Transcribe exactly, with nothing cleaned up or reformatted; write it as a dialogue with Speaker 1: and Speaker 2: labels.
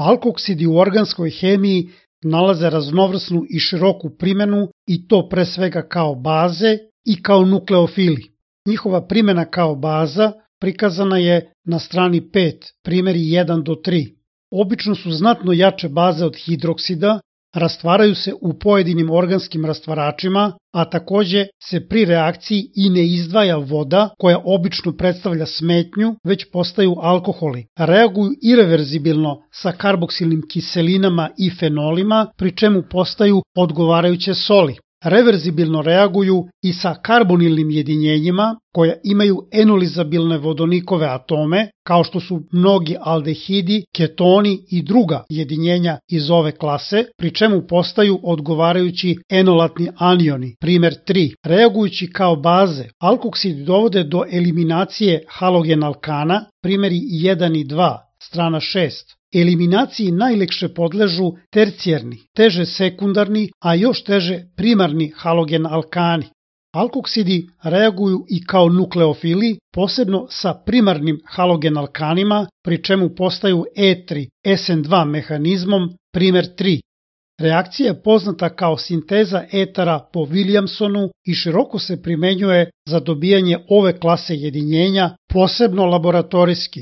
Speaker 1: Alkoksidi u organskoj hemiji nalaze raznovrsnu i široku primenu i to pre svega kao baze i kao nukleofili. Njihova primena kao baza prikazana je na strani pet, primeri jedan do tri. Obično su znatno jače baze od hidroksida, rastvaraju se u pojedinim organskim rastvaračima, a takođe se pri reakciji i ne izdvaja voda koja obično predstavlja smetnju, već postaju alkoholi. Reaguju ireverzibilno sa karboksilnim kiselinama i fenolima, pri čemu postaju odgovarajuće soli. Reverzibilno reaguju i sa karbonilnim jedinjenjima koja imaju enolizabilne vodonikove atome, kao što su mnogi aldehidi, ketoni i druga jedinjenja iz ove klase, pri čemu postaju odgovarajući enolatni anioni, primer tri. Reagujući kao baze, alkoksidi dovode do eliminacije halogen alkana, primeri jedan i dva, strana šest. Eliminaciji najlekše podležu tercijerni, teže sekundarni, a još teže primarni halogen alkani. Alkoksidi reaguju i kao nukleofili, posebno sa primarnim halogen alkanima, pri čemu postaju E tri S N dva mehanizmom, primer tri. Reakcija je poznata kao sinteza etara po Williamsonu i široko se primenjuje za dobijanje ove klase jedinjenja, posebno laboratorijski.